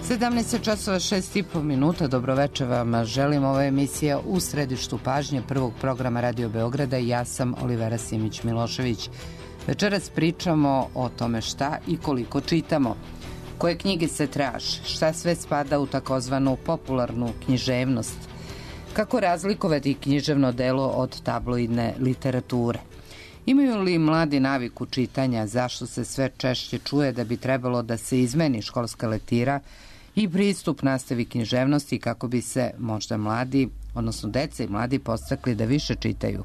17 časova 6,5 minuta. Dobroveče vam želim. Ova emisija u središtu pažnje prvog programa Radio Beograda i ja sam Olivera Simić-Milošević. Večeras pričamo o tome šta i koliko čitamo, koje knjige se traže, šta sve spada u takozvanu popularnu književnost, kako razlikovati književno delo od tabloidne literature. Imaju li mladi naviku čitanja, zašto se sve češće čuje da bi trebalo da se izmeni školska lektira i pristup nastavi književnosti kako bi se možda mladi, odnosno deca i mladi podstakli da više čitaju.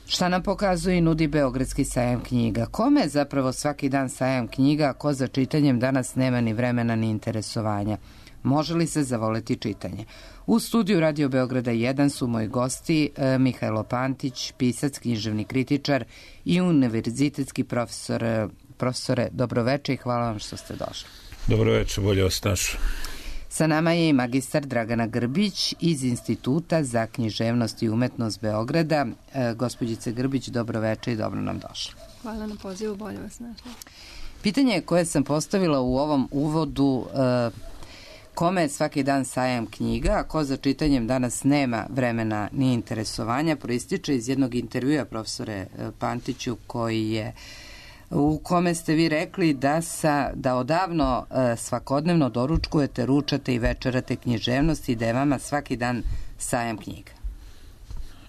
Šta nam pokazuje i nudi Beogradski sajam knjiga? Kome je zapravo svaki dan sajam knjiga, ko za čitanjem danas nema ni vremena ni interesovanja? Može li se zavoleti čitanje? U studiju Radio Beograda 1 su moji gosti Mihajlo Pantić, pisac, književni kritičar i univerzitetski profesor. Profesore, dobroveče i hvala vam što ste došli. Dobroveče, bolje vas našao. Sa nama je i magistar Dragana Grbić iz Instituta za književnost i umetnost Beograda. Gospođice Grbić, dobroveče i dobro nam došli. Hvala na pozivu, bolje vas našla. Pitanje koje sam postavila u ovom uvodu, kome je svaki dan sajam knjiga, a ko za čitanjem danas nema vremena ni interesovanja, proističe iz jednog intervjua profesore Pantiću u kome ste vi rekli da odavno svakodnevno doručkujete, ručate i večerate književnost i da je vama svaki dan sajam knjiga.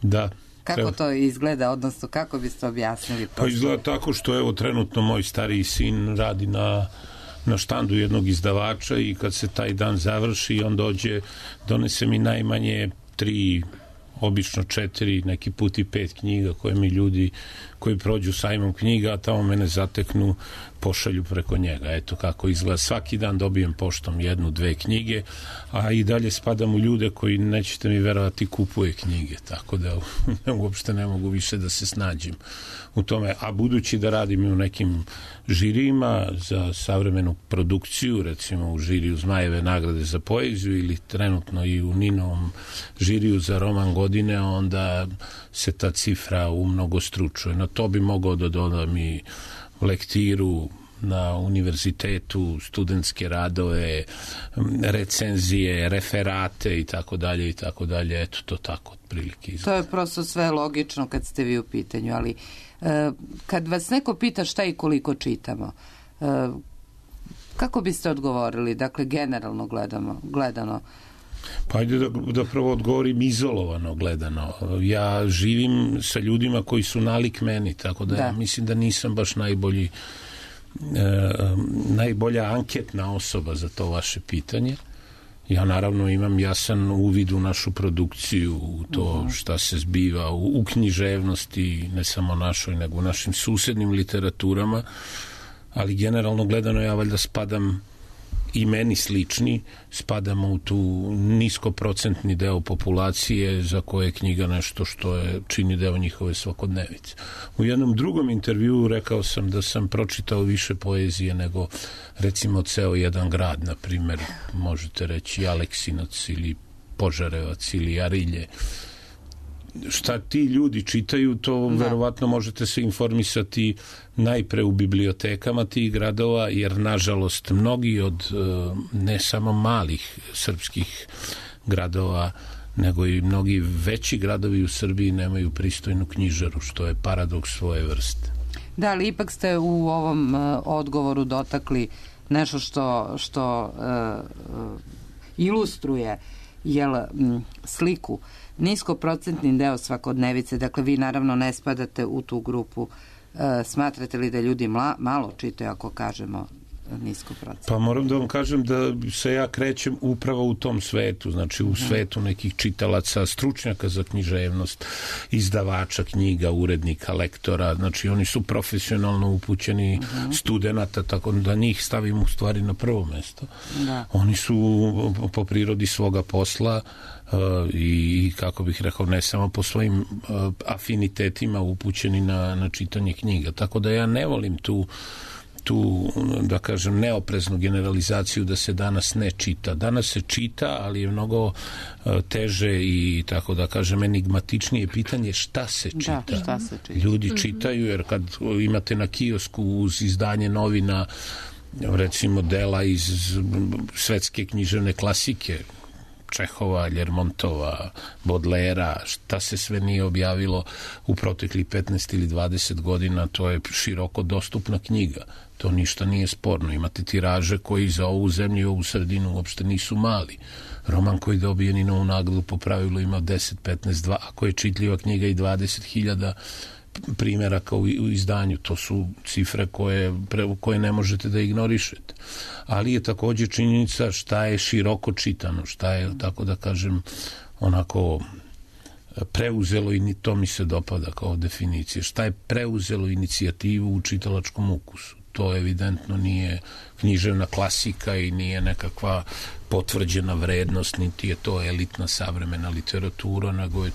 Da. Kako to izgleda, odnosno kako biste objasnili? Pa izgleda tako što evo trenutno moj stariji sin radi na štandu jednog izdavača i kad se taj dan završi on dođe, donese mi najmanje 3, obično 4, neki put i 5 knjiga koje mi ljudi koji prođu sajmom knjiga, a tamo mene zateknu, pošalju preko njega. Eto kako izgleda. Svaki dan dobijem poštom 1, 2 knjige, a i dalje spadam u ljude koji, nećete mi verovati, kupuje knjige, tako da uopšte ne mogu više da se snađem u tome. A budući da radim i u nekim žirijima za savremenu produkciju, recimo u žiriju Zmajeve nagrade za poeziju ili trenutno i u Ninovom žiriju za roman godine, onda se ta cifra umnogostručuje. Na to bi mogao da dodam i lektiru na univerzitetu, studentske radove, recenzije, referate i tako dalje i tako dalje. Eto, to tako otprilike izgleda. To je prosto sve logično kad ste vi u pitanju, ali kad vas neko pita šta i koliko čitamo, kako biste odgovorili? Dakle, generalno gledano. Pa ajde da prvo odgovorim izolovano gledano. Ja živim sa ljudima koji su nalik meni, tako da ja mislim da nisam baš najbolja anketna osoba za to vaše pitanje. Ja naravno imam jasan uvid u našu produkciju, u to šta se zbiva u književnosti, ne samo našoj, nego u našim susednim literaturama, ali generalno gledano ja valjda spadam, i meni slični, spadamo u tu niskoprocentni deo populacije za koje je knjiga nešto što čini deo njihove svakodnevice. U jednom drugom intervjuu rekao sam da sam pročitao više poezije nego recimo ceo jedan grad, na primer, možete reći Aleksinac ili Požarevac ili Arilje. Šta ti ljudi čitaju, to verovatno možete se informisati najpre u bibliotekama tih gradova, jer nažalost mnogi od ne samo malih srpskih gradova, nego i mnogi veći gradovi u Srbiji nemaju pristojnu knjižaru, što je paradoks svoje vrste. Da, ali ipak ste u ovom odgovoru dotakli nešto što ilustruje sliku. Niskoprocentni deo svakodnevice, dakle vi naravno ne spadate u tu grupu. Smatrate li da ljudi malo čitaju ako kažemo niskoprocentni? Pa moram da vam kažem da se ja krećem upravo u tom svetu, znači u svetu nekih čitalaca, stručnjaka za književnost, izdavača knjiga, urednika, lektora, znači oni su profesionalno upućeni studenata, tako da njih stavim u stvari na prvo mesto. Oni su po prirodi svoga posla i kako bih rekao, ne samo po svojim afinitetima upućeni na čitanje knjiga, tako da ja ne volim tu da kažem neopreznu generalizaciju da se danas ne čita. Danas se čita, ali je mnogo teže i tako da kažem enigmatičnije pitanje šta se čita. Da, šta se čita. Ljudi čitaju, jer kad imate na kiosku uz izdanje novina recimo dela iz svetske književne klasike, Čehova, Ljermontova, Bodlera, šta se sve nije objavilo u proteklih 15 ili 20 godina, to je široko dostupna knjiga. To ništa nije sporno. Imate tiraže koji za ovu zemlju i ovu sredinu uopšte nisu mali. Roman koji dobije Ninovu nagradu po pravilu ima 10, 15, 2, ako je čitljiva knjiga i 20.000 primjeraka u izdanju. To su cifre koje ne možete da ignorišete. Ali je takođe činjenica šta je široko čitano, šta je, tako da kažem, onako preuzelo, i to mi se dopada kao definicija, šta je preuzelo inicijativu u čitalačkom ukusu. To evidentno nije književna klasika i nije nekakva potvrđena vrednost, niti je to elitna savremena literatura, nego je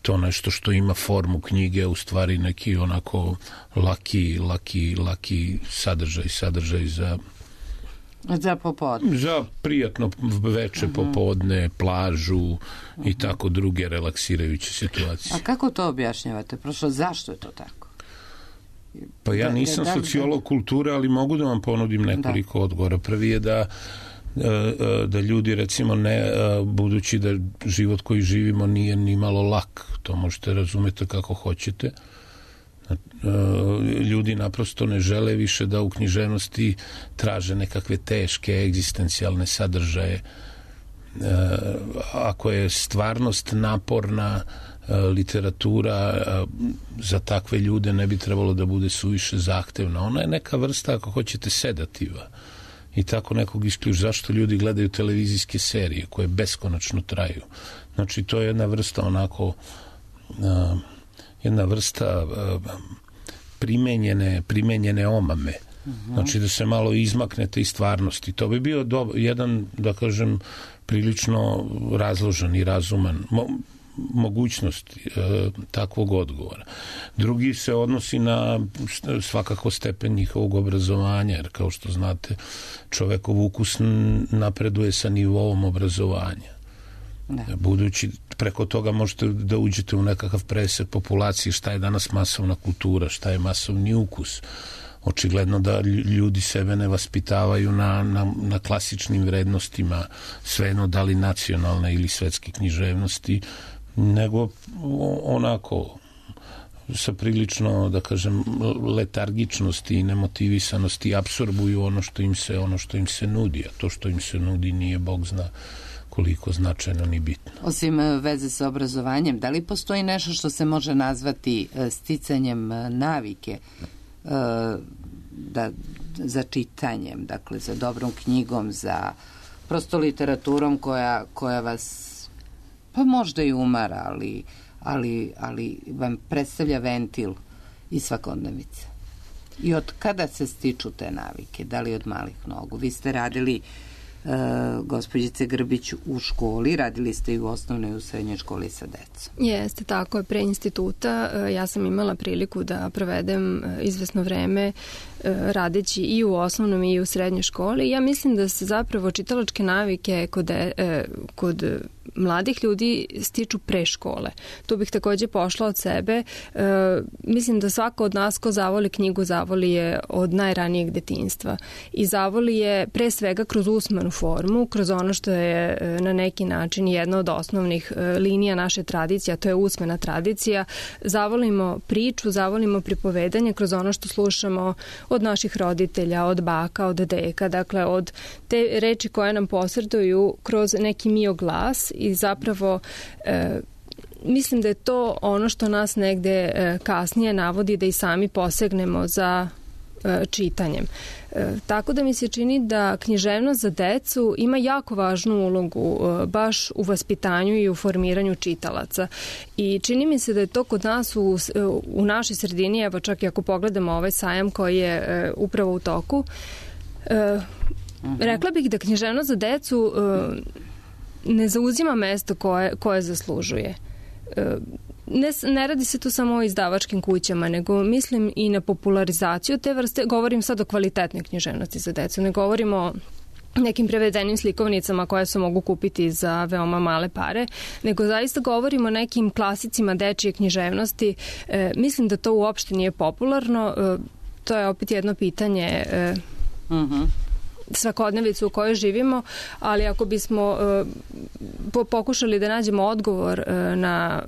to nešto što ima formu knjige, u stvari neki onako laki sadržaj za popodne. Za prijatno veče, popodne, plažu i tako druge relaksirajuće situacije. A kako to objašnjavate? Prošlo, zašto je to tako? Pa ja nisam sociolog kulture, ali mogu da vam ponudim nekoliko odgovora. Prvi je da ljudi, recimo, budući da život koji živimo nije ni malo lak, to možete razumeti kako hoćete, ljudi naprosto ne žele više da u književnosti traže nekakve teške egzistencijalne sadržaje. Ako je stvarnost naporna, literatura za takve ljude ne bi trebalo da bude suviše zahtevna. Ona je neka vrsta, ako hoćete, sedativa. I tako nekog isključ. Zašto ljudi gledaju televizijske serije koje beskonačno traju? Znači, to je jedna vrsta onako jedna vrsta primenjene omame. Znači, da se malo izmaknete iz stvarnosti. To bi bio jedan, da kažem, prilično razložen i razuman mogućnost takvog odgovora. Drugi se odnosi na svakako stepen njihovog obrazovanja, jer kao što znate, čovekov ukus napreduje sa nivoom obrazovanja. Budući preko toga možete da uđete u nekakav presek populacije, šta je danas masovna kultura, šta je masovni ukus. Očigledno da ljudi sebe ne vaspitavaju na klasičnim vrednostima, svejedno da li nacionalne ili svetske književnosti, nego onako sa prilično, da kažem, letargičnosti i nemotivisanosti apsorbuju ono što im se nudi, a to što im se nudi nije Bog zna koliko značajno ni bitno. Osim veze sa obrazovanjem, da li postoji nešto što se može nazvati sticanjem navike za čitanjem, dakle za dobrom knjigom, za prosto literaturom koja vas pa možda i umara, ali vam predstavlja ventil i svakodnevice. I od kada se stiču te navike? Da li od malih nogu? Vi ste radili, gospođice Grbić, u školi, radili ste i u osnovnoj i u srednjoj školi sa decom. Jeste, tako je, pre instituta ja sam imala priliku da provedem izvesno vreme radeći i u osnovnom i u srednjoj školi. Ja mislim da se zapravo čitalačke navike kod mladih ljudi stiču pre škole. Tu bih takođe pošla od sebe. Mislim da svako od nas ko zavoli knjigu, zavoli je od najranijeg detinjstva. I zavoli je pre svega kroz usmenu formu, kroz ono što je na neki način jedna od osnovnih linija naše tradicije, a to je usmena tradicija. Zavolimo priču, zavolimo pripovedanje kroz ono što slušamo od naših roditelja, od baka, od deka, dakle od te reči koje nam posreduju kroz neki mio glas i zapravo mislim da je to ono što nas negde kasnije navodi da i sami posegnemo za čitanjem. Tako da mi se čini da književnost za decu ima jako važnu ulogu baš u vaspitanju i u formiranju čitalaca. I čini mi se da je to kod nas u našoj sredini, evo čak i ako pogledamo ovaj sajam koji je upravo u toku, rekla bih da književnost za decu ne zauzima mesto koje zaslužuje. Ne radi se tu samo o izdavačkim kućama, nego mislim i na popularizaciju te vrste. Govorim sad o kvalitetnoj književnosti za decu. Ne govorimo o nekim prevedenim slikovnicama koje se mogu kupiti za veoma male pare, nego zaista govorimo o nekim klasicima dečije književnosti. Mislim da to uopšte nije popularno. to je opet jedno pitanje svakodnevicu u kojoj živimo, ali ako bismo pokušali da nađemo odgovor na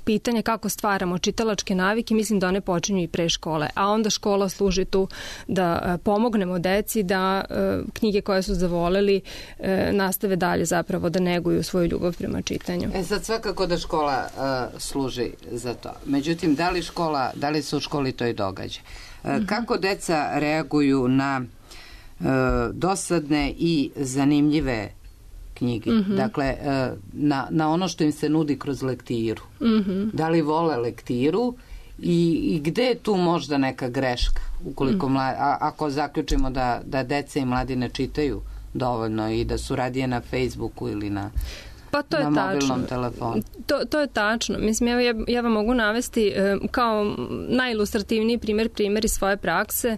pitanje kako stvaramo čitalačke navike, mislim da one počinju i pre škole, a onda škola služi tu da pomognemo deci da knjige koje su zavoleli nastave dalje zapravo da neguju svoju ljubav prema čitanju. Sad svakako da škola služi za to. Međutim, da li se u školi to i događa? Kako deca reaguju na dosadne i zanimljive knjige? Dakle, na ono što im se nudi kroz lektiru. Da li vole lektiru i gde je tu možda neka greška? Ukoliko ako zaključimo da deca i mladi ne čitaju dovoljno i da su radije na Facebooku ili na mobilnom telefonu. To je tačno. Mislim, ja vam mogu navesti kao najilustrativniji primjer iz svoje prakse.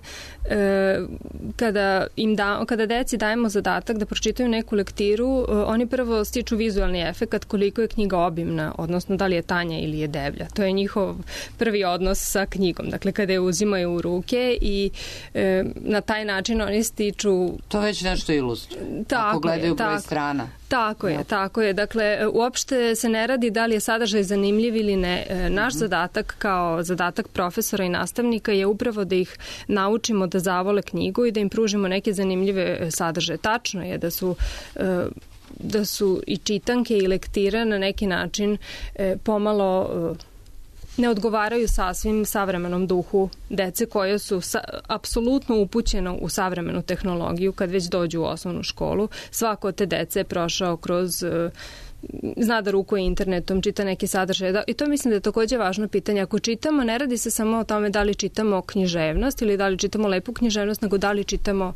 Kada deci dajemo zadatak da pročitaju neku lektiru, oni prvo stiču vizualni efekat koliko je knjiga obimna, odnosno da li je tanja ili je deblja. To je njihov prvi odnos sa knjigom. Dakle, kada je uzimaju u ruke i na taj način oni stiču... To već nešto ilustruje. Ako gledaju broj strana. Tako je. Dakle, uopšte se ne radi da li je sadržaj zanimljiv ili ne. Naš zadatak kao zadatak profesora i nastavnika je upravo da ih naučimo da zavole knjigu i da im pružimo neke zanimljive sadržaje. Tačno je da su i čitanke i lektire na neki način pomalo ne odgovaraju sasvim savremenom duhu dece koje su apsolutno upućeno u savremenu tehnologiju kad već dođu u osnovnu školu. Svako od te dece je prošao kroz zna da rukuje internetom, čita neki sadržaj. I to mislim da je takođe važno pitanje. Ako čitamo, ne radi se samo o tome da li čitamo književnost ili da li čitamo lepu književnost, nego da li čitamo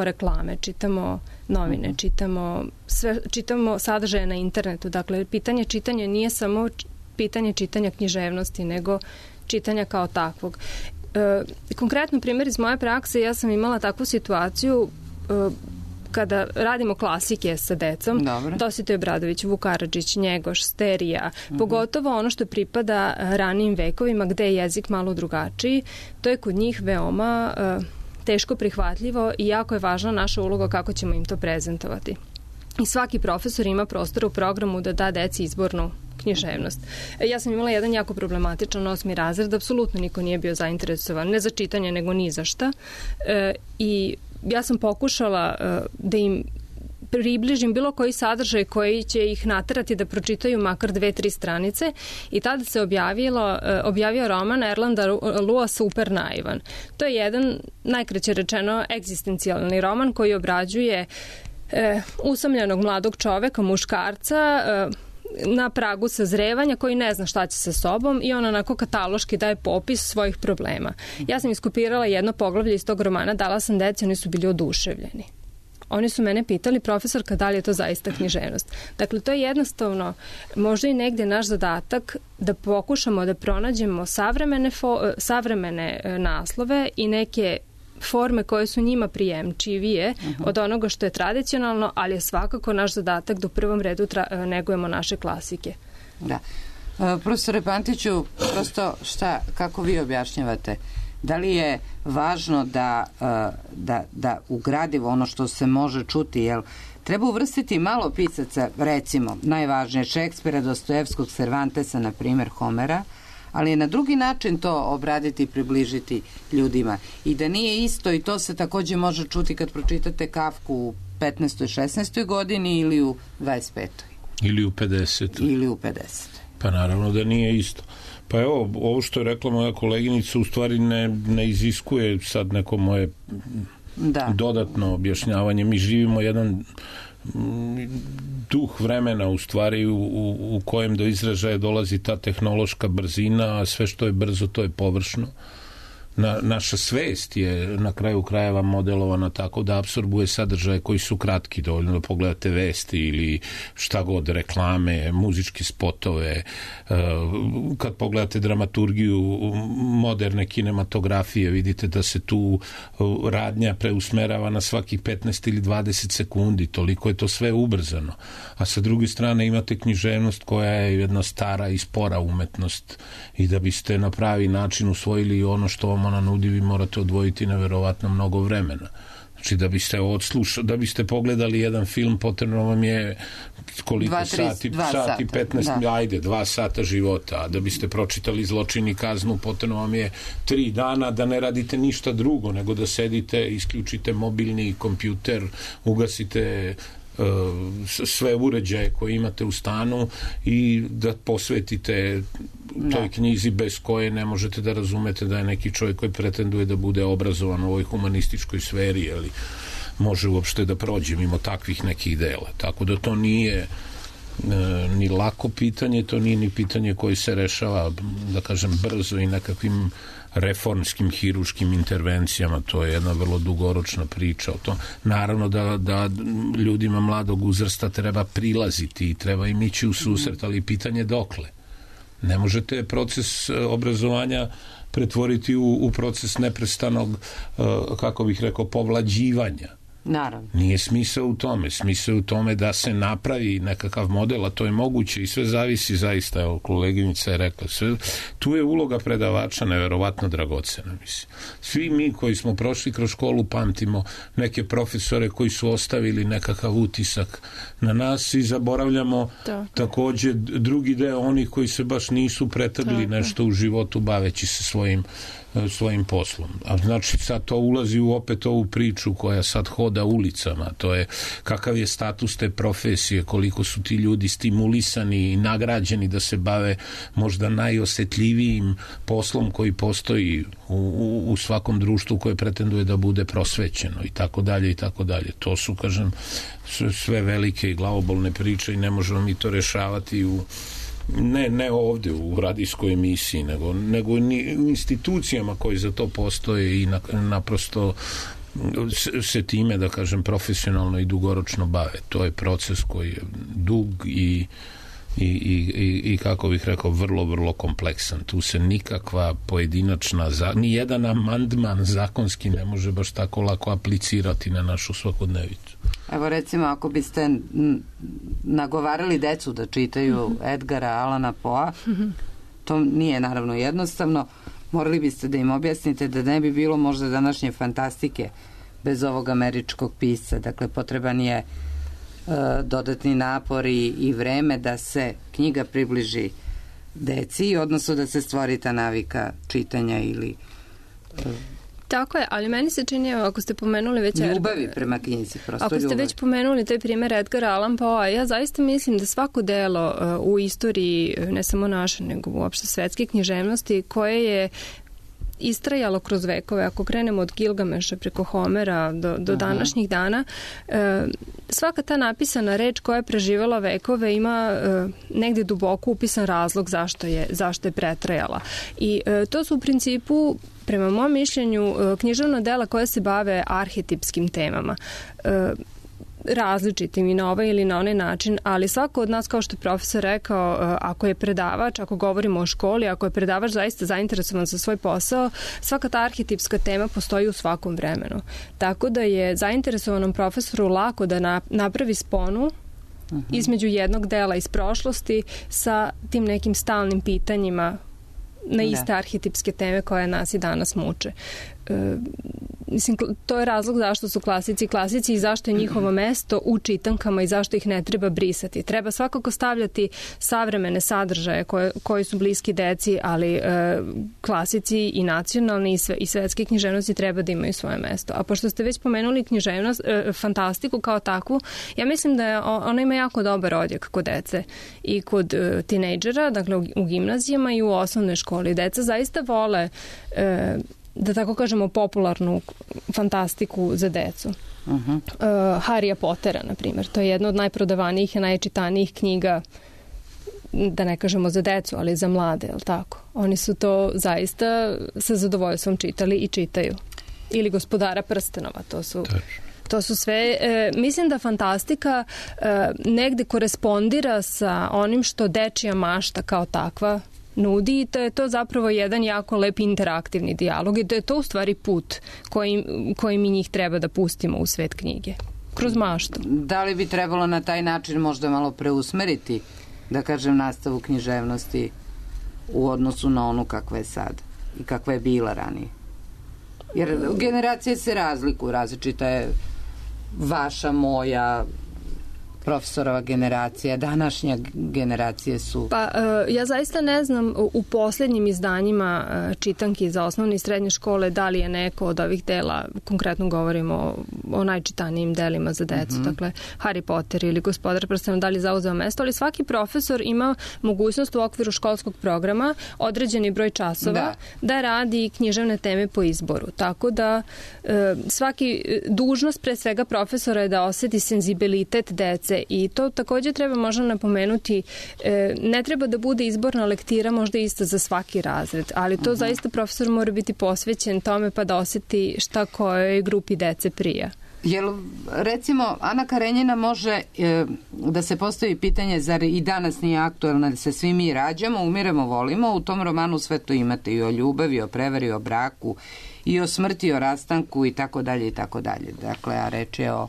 reklame, čitamo novine, čitamo sadržaje na internetu. Dakle, pitanje čitanja nije samo pitanje čitanja književnosti, nego čitanja kao takvog. Konkretno primjer iz moje prakse, ja sam imala takvu situaciju kada radimo klasike sa decom, Dositej Obradović, Vuk Karadžić, Njegoš, Sterija, pogotovo ono što pripada ranijim vekovima gde je jezik malo drugačiji, to je kod njih veoma teško prihvatljivo i jako je važna naša uloga kako ćemo im to prezentovati. I svaki profesor ima prostora u programu da da deci izbornu književnost. Ja sam imala jedan jako problematičan 8. razred, apsolutno niko nije bio zainteresovan, ne za čitanje, nego ni za šta. I ja sam pokušala da im približim bilo koji sadržaj koji će ih naterati da pročitaju makar 2-3 stranice i tada se objavio roman Erlanda Lua Super naivan. To je jedan, najkraće rečeno, egzistencijalni roman koji obrađuje usamljenog mladog čoveka, muškarca, na pragu sazrevanja koji ne zna šta će sa sobom i on onako kataloški daje popis svojih problema. Ja sam iskopirala jedno poglavlje iz tog romana, dala sam deci, oni su bili oduševljeni. Oni su mene pitali, profesorka, da li je to zaista književnost. Dakle, to je jednostavno možda i negde naš zadatak da pokušamo da pronađemo savremene naslove i neke forme koje su njima prijemčivije od onoga što je tradicionalno, ali je svakako naš zadatak da u prvom redu negujemo naše klasike. Da. Profesore Pantiću, prosto kako vi objašnjavate? Da li je važno da u gradivo ono što se može čuti, jel treba uvrstiti malo pisaca, recimo, najvažnije Šekspira, Dostojevskog, Cervantesa, na primjer Homera, ali je na drugi način to obraditi i približiti ljudima. I da nije isto, i to se takođe može čuti kad pročitate Kafku u 15. 16. godini ili u 25. Ili u 50. Pa naravno da nije isto. Pa evo, ovo što je rekla moja koleginica u stvari ne iziskuje sad neko moje dodatno objašnjavanje. Mi živimo jedan duh vremena u stvari u kojem do izražaja dolazi ta tehnološka brzina, a sve što je brzo to je površno. Naša svest je na kraju krajeva modelovana tako da apsorbuje sadržaje koji su kratki, dovoljno da pogledate vesti ili šta god, reklame, muzičke spotove. Kad pogledate dramaturgiju moderne kinematografije, vidite da se tu radnja preusmerava na svakih 15 ili 20 sekundi, toliko je to sve ubrzano. A sa druge strane imate književnost koja je jedna stara i spora umetnost i da biste na pravi način usvojili ono što vam ona nudi, vi morate odvojiti neverovatno mnogo vremena. Znači, da biste pogledali jedan film, potrebno vam je koliko sati 15, ajde, 2 sata života, a da biste pročitali Zločin i kaznu, potrebno vam je 3 dana da ne radite ništa drugo, nego da sedite, isključite mobilni kompjuter, ugasite sve uređaje koje imate u stanu i da posvetite toj knjizi bez koje ne možete da razumete da je neki čovjek koji pretenduje da bude obrazovan u ovoj humanističkoj sferi, ali može uopšte da prođe mimo takvih nekih dela. Tako da to nije ni lako pitanje, to nije ni pitanje koje se rešava, da kažem, brzo i nekakvim reformskim, hiruškim intervencijama. To je jedna vrlo dugoročna priča o tom. Naravno da ljudima mladog uzrasta treba prilaziti i treba im ići u susret, ali pitanje dokle. Ne možete proces obrazovanja pretvoriti u proces neprestanog, kako bih rekao, povlađivanja. Naravno. Nije smisao u tome. Smisao u tome da se napravi nekakav model, a to je moguće i sve zavisi zaista, evo, koleginica je rekla, tu je uloga predavača neverovatno dragocena, mislim. Svi mi koji smo prošli kroz školu pamtimo neke profesore koji su ostavili nekakav utisak na nas i zaboravljamo takođe drugi deo onih koji se baš nisu pretrgli nešto u životu baveći se svojim poslom. A znači sad to ulazi u opet ovu priču koja sad hoda ulicama, to je kakav je status te profesije, koliko su ti ljudi stimulisani i nagrađeni da se bave možda najosetljivijim poslom koji postoji u svakom društvu koje pretenduje da bude prosvećeno i tako dalje i tako dalje. To su, kažem, sve velike i glavobolne priče i ne možemo mi to rešavati ne ovde u radijskoj emisiji, nego u institucijama koje za to postoje i naprosto se time, da kažem, profesionalno i dugoročno bave. To je proces koji je dug i kako bih rekao, vrlo, vrlo kompleksan. Tu se nikakva pojedinačna, ni jedan amandman zakonski ne može baš tako lako aplicirati na našu svakodnevicu. Evo, recimo, ako biste nagovarali decu da čitaju Edgara Allana Poea, to nije naravno jednostavno, morali biste da im objasnite da ne bi bilo možda današnje fantastike bez ovog američkog pisca. Dakle, potreban je dodatni napor i vreme da se knjiga približi deci, odnosno da se stvori ta navika čitanja ili... Tako je, ali meni se čini, ako ste pomenuli već... Ljubavi prema knjizi, prosto ljubavi. Ako ste već pomenuli taj primer Edgara Allan Poea, ja zaista mislim da svako delo u istoriji, ne samo naše, nego uopšte svetske književnosti, koje je istrajalo kroz vekove, ako krenemo od Gilgameša preko Homera do današnjih dana, svaka ta napisana reč koja je preživala vekove ima negde duboko upisan razlog zašto je pretrajala. I to su u principu, prema mom mišljenju, književna dela koja se bave arhetipskim temama. Različitim i na ovaj ili na onaj način, ali svako od nas, kao što je profesor rekao, ako je predavač, ako govorimo o školi, ako je predavač zaista zainteresovan za svoj posao, svaka ta arhetipska tema postoji u svakom vremenu. Tako da je zainteresovanom profesoru lako da napravi sponu između jednog dela iz prošlosti sa tim nekim stalnim pitanjima na iste arhetipske teme koje nas i danas muče. Mislim, to je razlog zašto su klasici i zašto je njihovo mesto u čitankama i zašto ih ne treba brisati. Treba svakako stavljati savremene sadržaje koji su bliski deci, ali klasici i nacionalni i svetske književnosti treba da imaju svoje mesto. A pošto ste već pomenuli književnost, fantastiku kao takvu, ja mislim da ona ima jako dobar odjek kod dece i kod tinejdžera, dakle u gimnazijama i u osnovnoj školi. Deca zaista vole da tako kažemo popularnu fantastiku za decu. Harrya Pottera, na primjer. To je jedna od najprodavanijih i najčitanijih knjiga, da ne kažemo za decu, ali za mlade, je li tako? Oni su to zaista sa zadovoljstvom čitali i čitaju. Ili Gospodara prstenova, to su sve, mislim da fantastika negde korespondira sa onim što dečija mašta kao takva nudi i da je to zapravo jedan jako lep interaktivni dijalog i da je to u stvari put koji mi njih treba da pustimo u svet knjige. Kroz maštu. Da li bi trebalo na taj način možda malo preusmeriti, da kažem, nastavu književnosti u odnosu na onu kakva je sad i kakva je bila ranije? Jer generacije se razlikuju, različita je vaša, moja, profesorova generacija, današnja generacije su... Pa, ja zaista ne znam u poslednjim izdanjima čitanki za osnovne i srednje škole da li je neko od ovih dela, konkretno govorimo o najčitanijim delima za decu, dakle Harry Potter ili Gospodar prstena, da li zauzeo mesto, ali svaki profesor ima mogućnost u okviru školskog programa određeni broj časova da radi književne teme po izboru. Tako da svaki dužnost pre svega profesora je da oseti senzibilitet dece i to takođe treba možda napomenuti, ne treba da bude izborna lektira možda ista za svaki razred, ali to zaista profesor mora biti posvećen tome pa da oseti šta kojoj grupi dece prija. Jel, recimo, Ana Karenjina može da se postavi pitanje, zar i danas nije aktuelno da se svi mi rađamo, umiremo, volimo, u tom romanu sve to imate i o ljubavi, o prevari, o braku, i o smrti, o rastanku i tako dalje i tako dalje. Dakle, a reč je o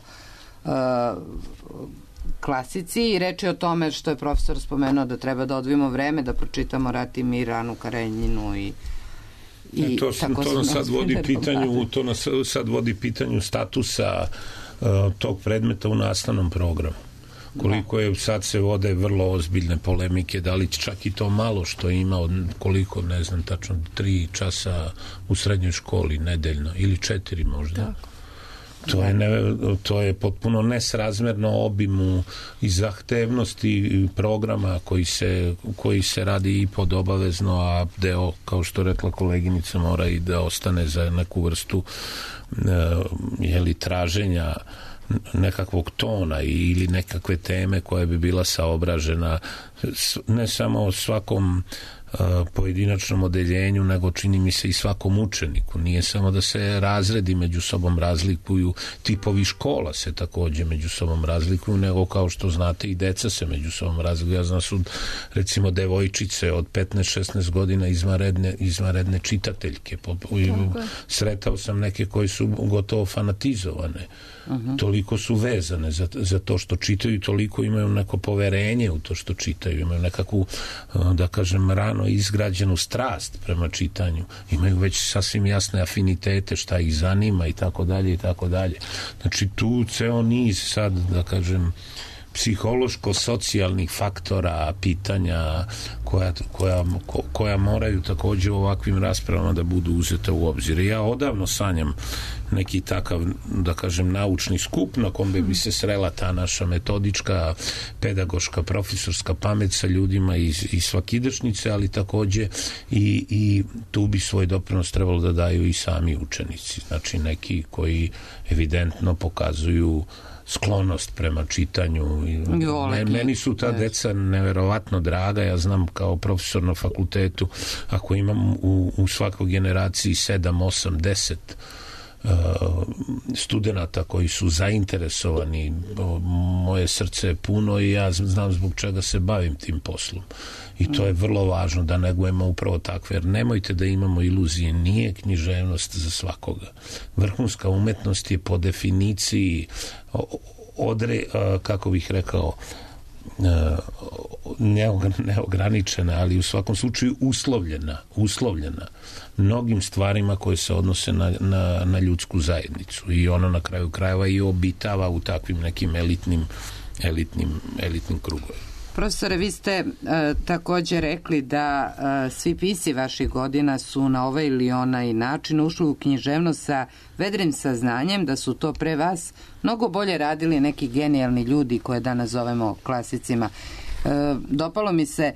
klasici i reč je o tome što je profesor spomenuo da treba da odvijemo vreme, da pročitamo Rat i mir, Anu Karenjinu i to nas sad vodi pitanju statusa tog predmeta u nastavnom programu. Koliko je, sad se vode vrlo ozbiljne polemike, da li čak i to malo što ima, koliko, ne znam tačno, 3 časa u srednjoj školi nedeljno, ili 4 možda. Tako. To je potpuno nesrazmerno obimu i zahtevnosti programa koji se radi i pod obavezno, a deo, kao što rekla koleginica, mora i da ostane za neku vrstu traženja nekakvog tona ili nekakve teme koja bi bila saobražena ne samo svakom pojedinačnom odeljenju, nego čini mi se i svakom učeniku. Nije samo da se razredi među sobom razlikuju, tipovi škola se takođe među sobom razlikuju, nego kao što znate i deca se među sobom razlikuju. Ja znam su recimo devojčice od 15-16 godina izvanredne čitateljke. Sretao sam neke koji su gotovo fanatizovane. Toliko su vezane za to što čitaju, toliko imaju neko poverenje u to što čitaju, imaju nekakvu, da kažem, rano izgrađenu strast prema čitanju, imaju već sasvim jasne afinitete, šta ih zanima i tako dalje i tako dalje. Znači tu ceo niz sad, da kažem, psihološko-socijalnih faktora, pitanja koja moraju takođe u ovakvim raspravama da budu uzete u obzir. Ja odavno sanjam neki takav, da kažem, naučni skup na kom bi se srela ta naša metodička, pedagoška, profesorska pamet sa ljudima iz svakidašnjice, ali takođe i tu bi svoj doprinos trebalo da daju i sami učenici. Znači neki koji evidentno pokazuju sklonost prema čitanju. Meni su ta deca neverovatno draga. Ja znam kao profesor na fakultetu, ako imam u svakoj generaciji 7, 8, 10 studenata koji su zainteresovani, moje srce je puno i ja znam zbog čega se bavim tim poslom. I to je vrlo važno da negujemo upravo takve, jer nemojte da imamo iluzije, nije književnost za svakoga. Vrhunska umetnost je po definiciji kako bih rekao, neograničena, ali u svakom slučaju uslovljena mnogim stvarima koje se odnose na ljudsku zajednicu i ono na kraju krajeva i obitava u takvim nekim elitnim krugovima. Profesore, vi ste takođe rekli da svi pisci vaših godina su na ovaj ili onaj način ušli u književnost sa vedrim saznanjem da su to pre vas mnogo bolje radili neki genijalni ljudi koje danas zovemo klasicima. Dopalo mi se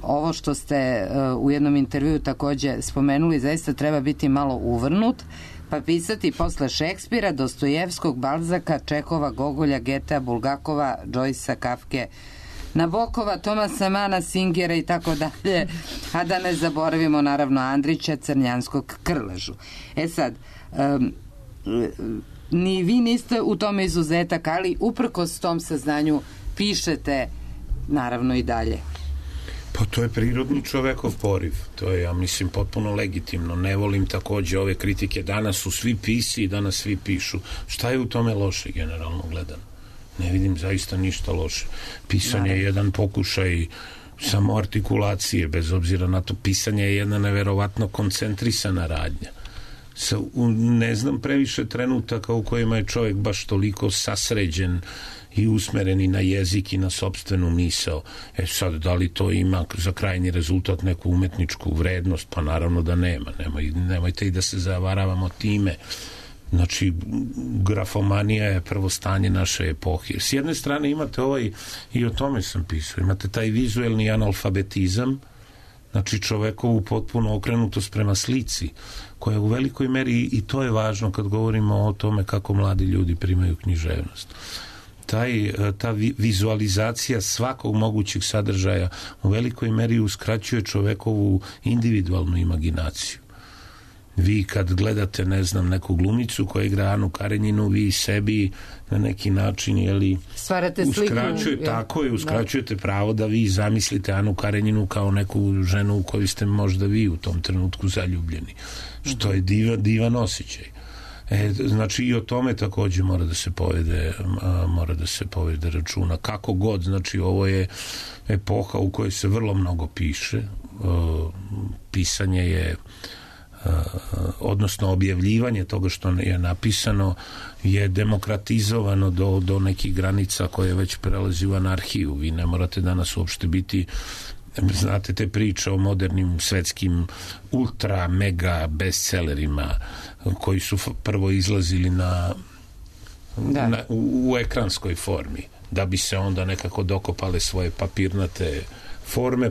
ovo što ste u jednom intervjuu takođe spomenuli, zaista treba biti malo uvrnut, pa pisati posle Šekspira, Dostojevskog, Balzaka, Čehova, Gogolja, Getea, Bulgakova, Džojsa, Kafke, Nabokova, Tomasa Mana, Singera i tako dalje, a da ne zaboravimo naravno Andrića, Crnjanskog, Krležu. Sad, ni vi niste u tome izuzetak, ali uprkos tom saznanju pišete naravno i dalje. Pa to je prirodni čovekov poriv. To je, ja mislim, potpuno legitimno. Ne volim takođe ove kritike. Danas su svi pisci i danas svi pišu. Šta je u tome loše, generalno gledano? Ne vidim zaista ništa loše. Pisanje je jedan pokušaj samoartikulacije, bez obzira na to. Pisanje je jedna neverovatno koncentrisana radnja. ne znam previše trenutaka u kojima je čovjek baš toliko sasređen i usmereni na jezik i na sopstvenu misao. Sad, da li to ima za krajnji rezultat neku umetničku vrednost? Pa naravno da nema. Nemojte i da se zavaravamo time. Znači, grafomanija je prvo stanje naše epohe. S jedne strane imate i o tome sam pisao, imate taj vizuelni analfabetizam, znači čovekovu potpuno okrenutost prema slici, koja u velikoj meri, i to je važno kad govorimo o tome kako mladi ljudi primaju književnost. Ta vizualizacija svakog mogućeg sadržaja u velikoj meri uskraćuje čovekovu individualnu imaginaciju. Vi kad gledate, ne znam, neku glumicu koja igra Anu Karenjinu, vi sebi na neki način, stvarate sliku. Uskraćujete pravo da vi zamislite Anu Karenjinu kao neku ženu u koju ste možda vi u tom trenutku zaljubljeni. Što je divan osjećaj. Znači i o tome takođe mora da se povede računa. Kako god, znači ovo je epoha u kojoj se vrlo mnogo piše. Pisanje je odnosno objavljivanje toga što je napisano je demokratizovano do nekih granica koje već prelazi u anarhiju. Vi ne morate danas uopšte biti, znate te priče o modernim svetskim ultra mega bestsellerima koji su prvo izlazili u ekranskoj formi, da bi se onda nekako dokopale svoje papirnate forme,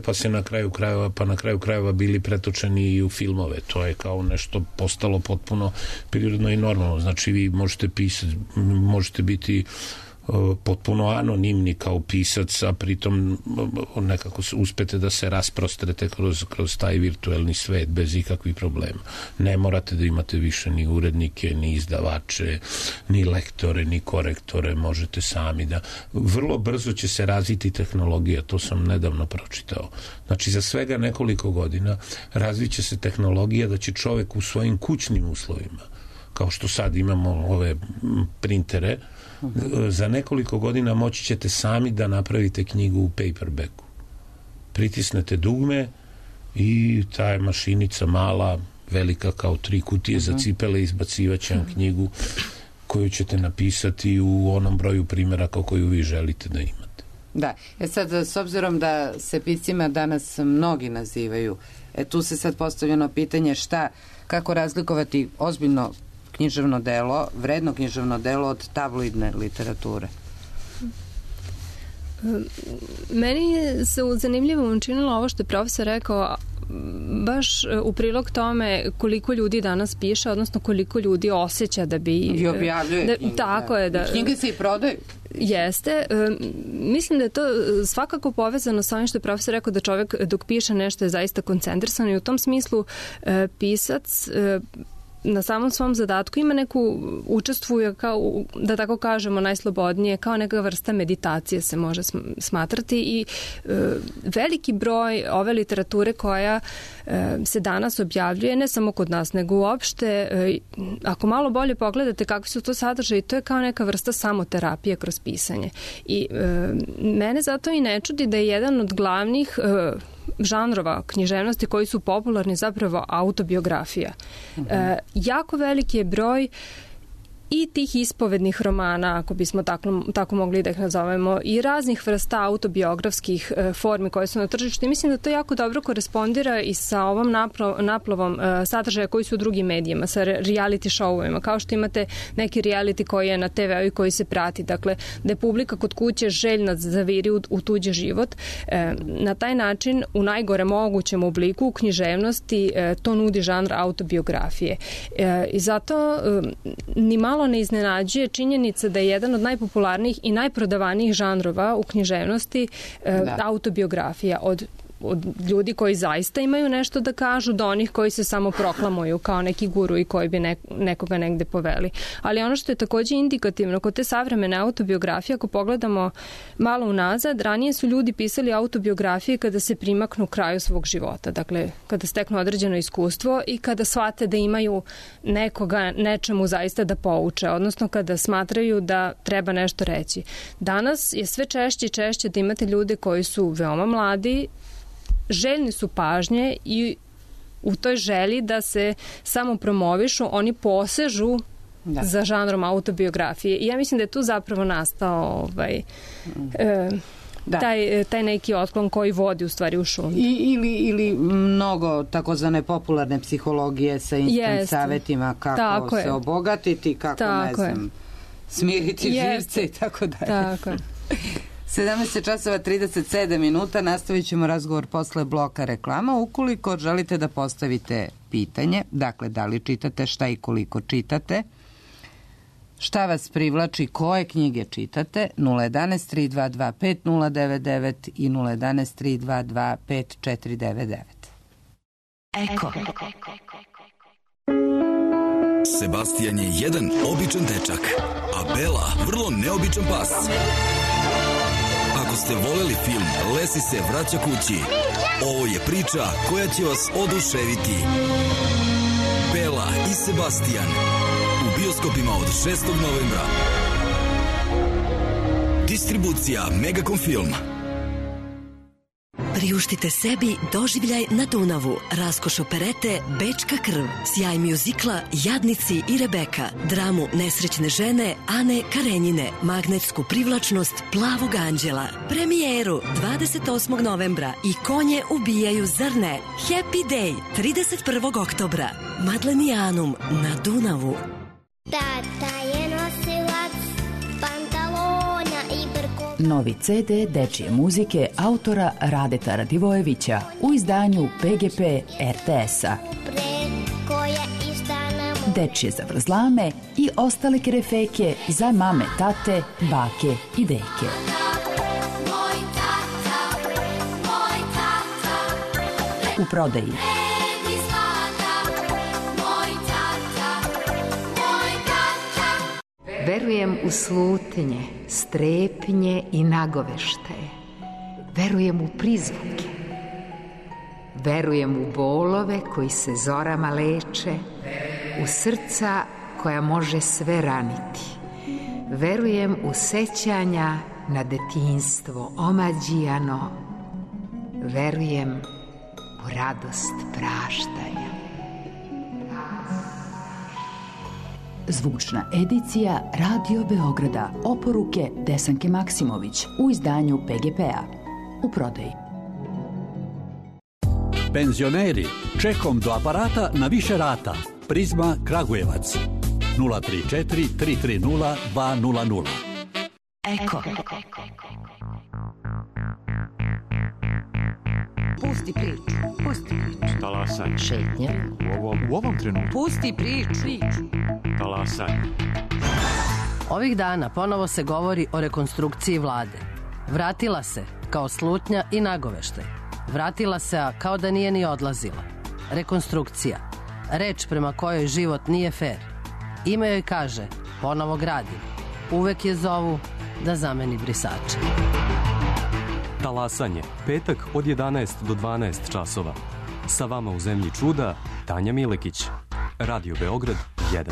pa na kraju krajeva bili pretočeni i u filmove. To je kao nešto postalo potpuno prirodno i normalno. Znači vi možete pisati, možete biti potpuno anonimni kao pisac, a pritom nekako uspete da se rasprostrete kroz taj virtuelni svet bez ikakvih problema. Ne morate da imate više ni urednike, ni izdavače, ni lektore, ni korektore, možete sami da... Vrlo brzo će se razviti tehnologija, to sam nedavno pročitao. Znači za svega nekoliko godina razviće se tehnologija da će čovek u svojim kućnim uslovima, kao što sad imamo ove printere, za nekoliko godina moći ćete sami da napravite knjigu u paperbacku. Pritisnete dugme i ta je mašinica mala, velika kao 3 kutije za cipele, izbacivaće vam knjigu koju ćete napisati u onom broju primjeraka koju vi želite da imate. Da, sad s obzirom da se piscima danas mnogi nazivaju, tu se sad postavljeno pitanje kako razlikovati ozbiljno književno delo, vredno književno delo od tabloidne literature? Meni se zanimljivo učinilo ovo što je profesor rekao, baš u prilog tome koliko ljudi danas piše, odnosno koliko ljudi osjeća da bi... I objavljuje knjige. Tako je. Knjige se i prodaju. Jeste. Mislim da je to svakako povezano sa ovim što je profesor rekao, da čovjek dok piše nešto je zaista koncentrisan i u tom smislu pisac na samom svom zadatku ima učestvuje kao, da tako kažemo, najslobodnije, kao neka vrsta meditacije se može smatrati i veliki broj ove literature koja se danas objavljuje, ne samo kod nas, nego uopšte, ako malo bolje pogledate kakvi su to sadržaji, to je kao neka vrsta samoterapije kroz pisanje. I mene zato i ne čudi da je jedan od glavnih žanrova književnosti koji su popularni zapravo autobiografija. Jako veliki je broj i tih ispovednih romana, ako bismo tako mogli da ih nazovemo, i raznih vrsta autobiografskih formi koje su na tržištu. I mislim da to jako dobro korespondira i sa ovom naplavom sadržaja koji su u drugim medijima, sa reality showovima, kao što imate neki reality koji je na TV-u i koji se prati. Dakle, da je publika kod kuće željna zaviri u tuđi život. Na taj način, u najgore mogućem obliku, u književnosti, to nudi žanr autobiografije. I zato ni malo ne iznenađuje činjenica da je jedan od najpopularnijih i najprodavanijih žanrova u književnosti autobiografija od ljudi koji zaista imaju nešto da kažu do onih koji se samo proklamuju kao neki guru i koji bi nekoga negde poveli. Ali ono što je takođe indikativno kod te savremene autobiografije, ako pogledamo malo unazad, ranije su ljudi pisali autobiografije kada se primaknu kraju svog života. Dakle, kada steknu određeno iskustvo i kada shvate da imaju nekoga nečemu zaista da pouče, odnosno kada smatraju da treba nešto reći. Danas je sve češće i češće da imate ljude koji su veoma mladi, željni su pažnje i u toj želji da se samo promovišu, oni posežu za žanrom autobiografije. I ja mislim da je tu zapravo nastao taj neki otklon koji vodi u stvari u šundu. Ili mnogo takozvane popularne psihologije sa instant savjetima kako se obogatiti, kako smiriti živce i tako dalje. Tako je. 17 časova 37 minuta, nastavit ćemo razgovor posle bloka reklama. Ukoliko želite da postavite pitanje, dakle da li čitate, šta i koliko čitate, šta vas privlači, koje knjige čitate, 011 322 5099 i 011 322 5499. Eko. Sebastian je jedan običan dečak, a Bela vrlo neobičan pas. Ako ste voleli film Lesi se vraća kući, ovo je priča koja će vas oduševiti. Bela i Sebastian u bioskopima od 6. novembra. Distribucija Megacom Film. Priuštite sebi doživljaj na Dunavu, raskoš operete Bečka krv, sjaj mjuzikla Jadnici i Rebeka, dramu Nesrećne žene Ane Karenjine, magnetsku privlačnost Plavog anđela, premijeru 28. novembra i Konje ubijaju, zar ne? Happy Day 31. oktobra. Madlenijanum na Dunavu. Tata je nosilac pantalona i brko. Novi CD dečije muzike autora Radeta Radivojevića u izdanju PGP RTS-a. Dečije zavrzlame i ostale kerefeke za mame, tate, bake i deke. U prodaji. Verujem u slutnje, strepnje i nagovešte. Verujem u prizvuke. Verujem u bolove koji se zorama leče, u srca koja može sve raniti. Verujem u sećanja na detinjstvo omađijano. Verujem u radost praštanja. Zvučna edicija Radio Beograda, oporuke Desanke Maksimović u izdanju PGP-a. U prodaji. Penzioneri, čekom do aparata na više rata. Prizma Kragujevac. 034 330 200. Eko. Pusti priču, pusti priču. Talasanje. Šetnje. U ovom trenutku. Pusti priču. Talasanje. Ovih dana ponovo se govori o rekonstrukciji vlade. Vratila se kao slutnja i nagoveštaj. Vratila se, a kao da nije ni odlazila. Rekonstrukcija. Reč prema kojoj život nije fer. Ime joj kaže, ponovo gradi. Uvek je zovu da zameni brisače. Talasanje. Petak od 11 do 12 časova. Sa vama u zemlji čuda, Tanja Milekić. Radio Beograd 1.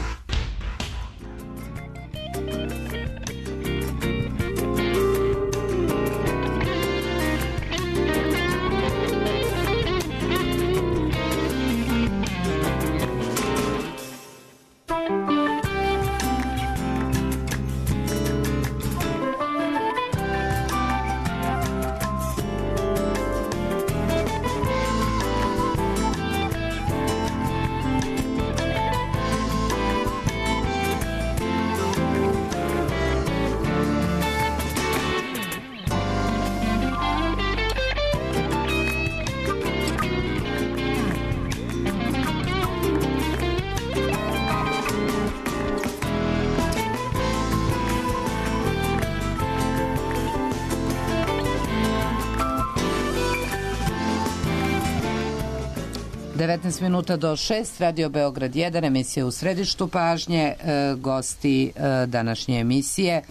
Minuta do 6, Radio Beograd 1, emisija u središtu pažnje, gosti današnje emisije.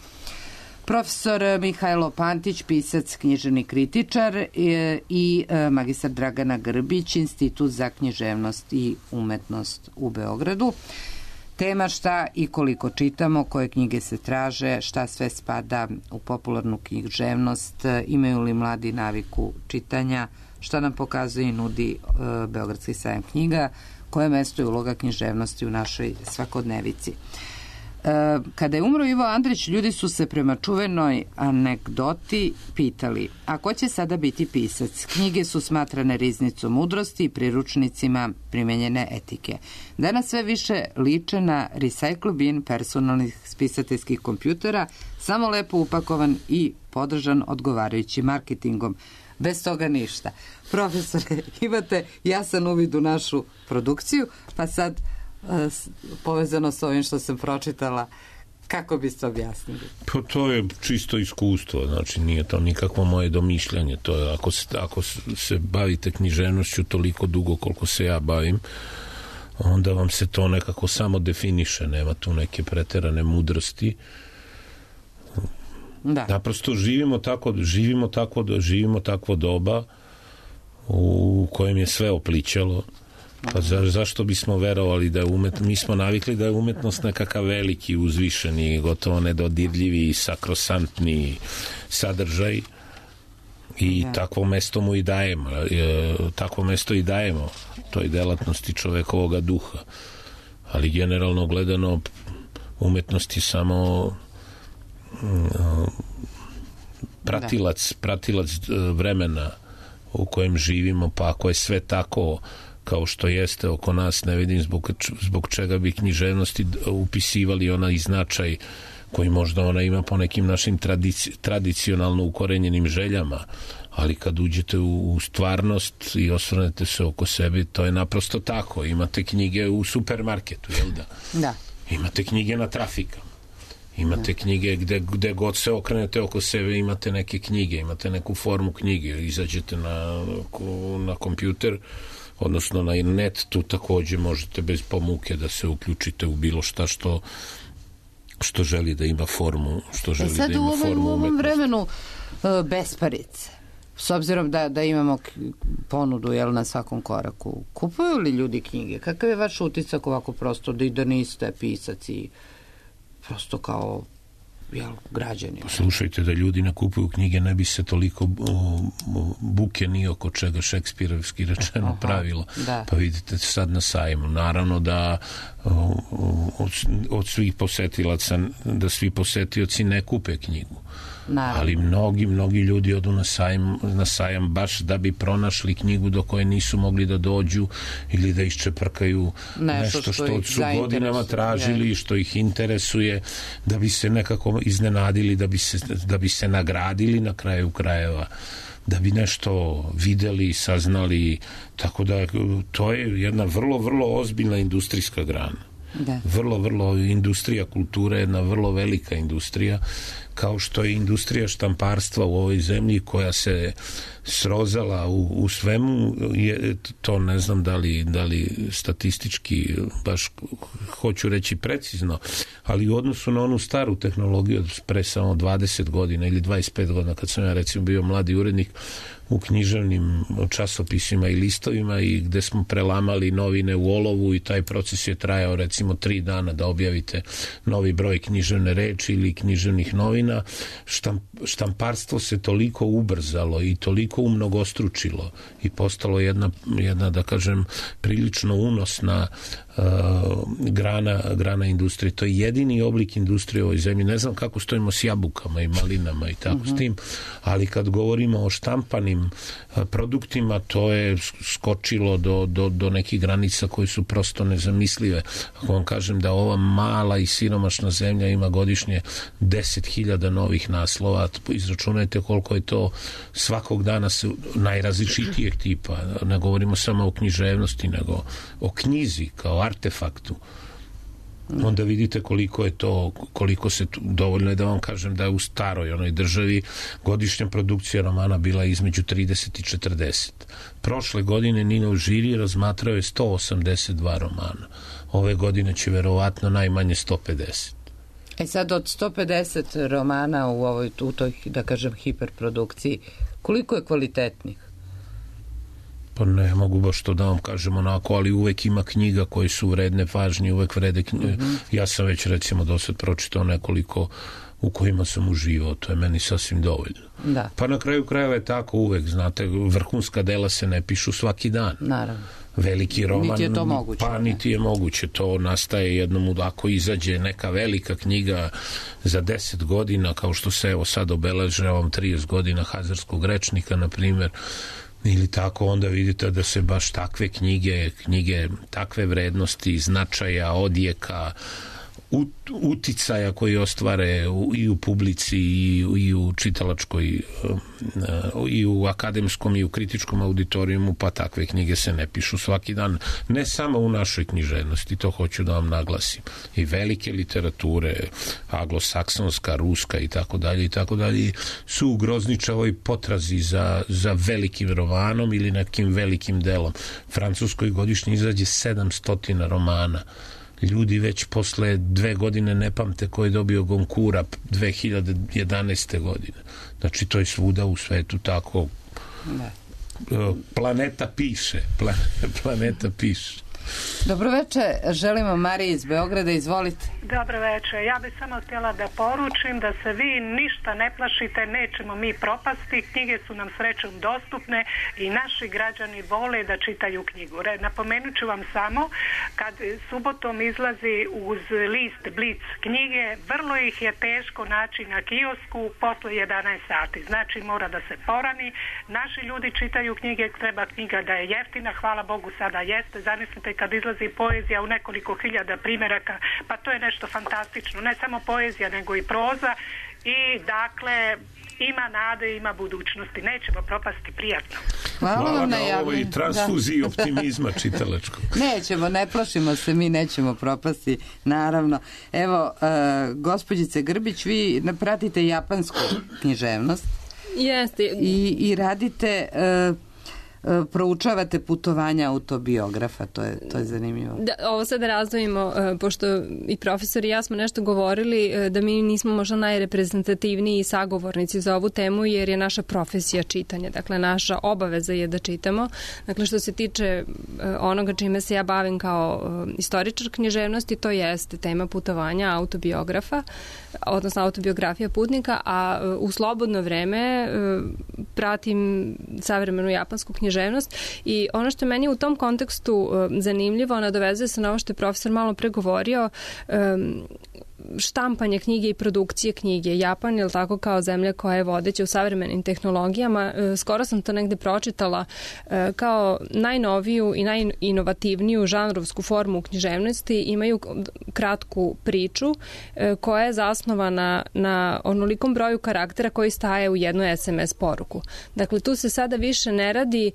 Profesor Mihajlo Pantić, pisac, književni kritičar i magistar Dragana Grbić, Institut za književnost i umetnost u Beogradu. Tema šta i koliko čitamo, koje knjige se traže, šta sve spada u popularnu književnost, imaju li mladi naviku čitanja, šta nam pokazuje i nudi Beogradski sajam knjiga, koje mesto je uloga književnosti u našoj svakodnevici. Kada je umro Ivo Andrić, ljudi su se prema čuvenoj anegdoti pitali, a ko će sada biti pisac? Knjige su smatrane riznicom mudrosti i priručnicima primenjene etike. Danas sve više liče na recycle bin personalnih spisateljskih kompjutera, samo lepo upakovan i podržan odgovarajućim marketingom. Bez toga ništa. Profesore, imate jasan uvid u našu produkciju, pa sad povezano s ovim što sam pročitala, kako biste objasnili? Pa to je čisto iskustvo, znači nije to nikakvo moje domišljanje. To je, ako se bavite književnošću toliko dugo koliko se ja bavim, onda vam se to nekako samo definiše, nema tu neke preterane mudrosti. Da. Naprosto živimo takvo doba u kojem je sve oplićalo. Pa zašto bismo verovali da je mi smo navikli da je umetnost nekakav veliki, uzvišeni, gotovo nedodirljivi, sakrosantni sadržaj i takvo mesto mu i dajemo. Takvo mesto i dajemo toj delatnosti čovekovoga duha. Ali generalno gledano umetnost je samo pratilac vremena u kojem živimo, pa ako je sve tako kao što jeste oko nas, ne vidim zbog čega bi književnosti upisivali onaj značaj koji možda ona ima po nekim našim tradicionalno ukorenjenim željama, ali kad uđete u stvarnost i osvrnete se oko sebe, to je naprosto tako. Imate knjige u supermarketu, jel da? Da. Imate knjige na trafikama. Imate knjige gde god se okrenete oko sebe, imate neke knjige, imate neku formu knjige, izađete na kompjuter, odnosno na net, tu takođe možete bez pomuke da se uključite u bilo šta što želi da ima formu, sad u ovom vremenu besparice, s obzirom da imamo ponudu na svakom koraku, kupuju li ljudi knjige? Kakav je vaš utisak ovako prosto da niste pisac i prosto kao građani? Slušajte, da ljudi ne kupuju knjige, ne bi se toliko buke ni oko čega šekspirovski rečeno pravilo. Pa vidite sad na sajmu. Naravno da od svih posetilaca, da svi posetioci ne kupe knjigu. Naravno. Ali mnogi ljudi odu na sajam baš da bi pronašli knjigu do koje nisu mogli da dođu ili da iščeprkaju nešto što su godinama tražili, što ih interesuje, da bi se nekako iznenadili, da bi se nagradili na kraju krajeva, da bi nešto videli, saznali, tako da to je jedna vrlo, vrlo ozbiljna industrijska grana. Vrlo industrija kulture je jedna vrlo velika industrija, kao što je industrija štamparstva u ovoj zemlji koja se srozala u svemu, to ne znam da li statistički baš hoću reći precizno, ali u odnosu na onu staru tehnologiju pre samo 20 godina ili 25 godina, kad sam ja recimo bio mladi urednik u književnim časopisima i listovima i gde smo prelamali novine u olovu i taj proces je trajao recimo 3 dana da objavite novi broj književne reči ili književnih novina. Štamparstvo se toliko ubrzalo i toliko umnogostručilo i postalo jedna da kažem prilično unosna grana industrije. To je jedini oblik industrije u ovoj zemlji. Ne znam kako stojimo s jabukama i malinama i tako s tim, ali kad govorimo o štampanim produktima, to je skočilo do nekih granica koje su prosto nezamislive. Ako vam kažem da ova mala i siromašna zemlja ima godišnje 10.000 novih naslova, izračunajte koliko je to svakog dana najrazličitijeg tipa. Ne govorimo samo o književnosti, nego o knjizi kao artefaktu. Onda vidite koliko se dovoljno je da vam kažem da je u staroj onoj državi godišnja produkcija romana bila između 30 i 40. Prošle godine Ninov žiri razmatrao je 182 romana. Ove godine će verovatno najmanje 150. Sad od 150 romana u toj, da kažem, hiperprodukciji, koliko je kvalitetnih? Pa ne mogu baš to da vam kažem onako, ali uvek ima knjiga koje su vredne pažnje, uvek vrede knjige. Ja sam već recimo do sad pročitao nekoliko u kojima sam uživao, to je meni sasvim dovoljno. Da. Pa na kraju krajeva je tako uvek, znate, vrhunska dela se ne pišu svaki dan. Naravno. Veliki roman, niti je to moguće, pa niti je moguće, to nastaje jednom ako izađe neka velika knjiga za 10 godina, kao što se evo sad obeležavam 30 godina Hazarskog rečnika, na primjer, ili tako, onda vidite da se baš takve knjige takve vrednosti, značaja, odjeka, uticaja koji ostvare i u publici i u čitalačkoj i u akademskom i u kritičkom auditorijumu, pa takve knjige se ne pišu svaki dan, ne samo u našoj književnosti, to hoću da vam naglasim, i velike literature, anglosaksonska, ruska i tako dalje su u grozničavoj potrazi za velikim romanom ili nekim velikim delom. Francuskoj godišnje izađe 700 romana. Ljudi već posle 2 godine ne pamte ko je dobio Gonkura 2011. godine. Znači, to je svuda u svetu tako. Ne. Planeta piše. Planeta piše. Dobroveče, želimo Mariji iz Beograda, izvolite. Dobroveče, ja bih samo htjela da poručim da se vi ništa ne plašite, nećemo mi propasti, knjige su nam srećom dostupne i naši građani vole da čitaju knjigu. Napomenut ću vam samo, kad subotom izlazi uz list Blic knjige, vrlo ih je teško naći na kiosku posle 11 sati, znači mora da se porani. Naši ljudi čitaju knjige, treba knjiga da je jeftina, hvala Bogu sada jeste, zamislite kad izlazi poezija u nekoliko hiljada primjeraka, pa to je nešto fantastično, ne samo poezija nego i proza, i dakle ima nade, ima budućnosti, nećemo propasti, prijatno. Hvala vam na ovoj transfuziji optimizma čitalačkog. Nećemo, ne plašimo se, mi nećemo propasti, naravno. Evo, gospođice Grbić, vi pratite japansku književnost. Jeste. I radite... proučavate putovanja autobiografa, to je zanimljivo. Ovo sad razdvojimo, pošto i profesor i ja smo nešto govorili da mi nismo možda najreprezentativniji sagovornici za ovu temu, jer je naša profesija čitanje, dakle naša obaveza je da čitamo. Dakle, što se tiče onoga čime se ja bavim kao istoričar književnosti, to jeste tema putovanja autobiografa, odnosno autobiografija putnika, a u slobodno vreme pratim savremenu japansku književnost i ono što je meni u tom kontekstu zanimljivo, nadovezuje se na ovo što je profesor malo pre govorio, štampanje knjige i produkcije knjige. Japan je tako kao zemlja koja je vodeća u savremenim tehnologijama. Skoro sam to negde pročitala kao najnoviju i najinovativniju žanrovsku formu u književnosti. Imaju kratku priču koja je zasnovana na onolikom broju karaktera koji staje u jednu SMS poruku. Dakle, tu se sada više ne radi,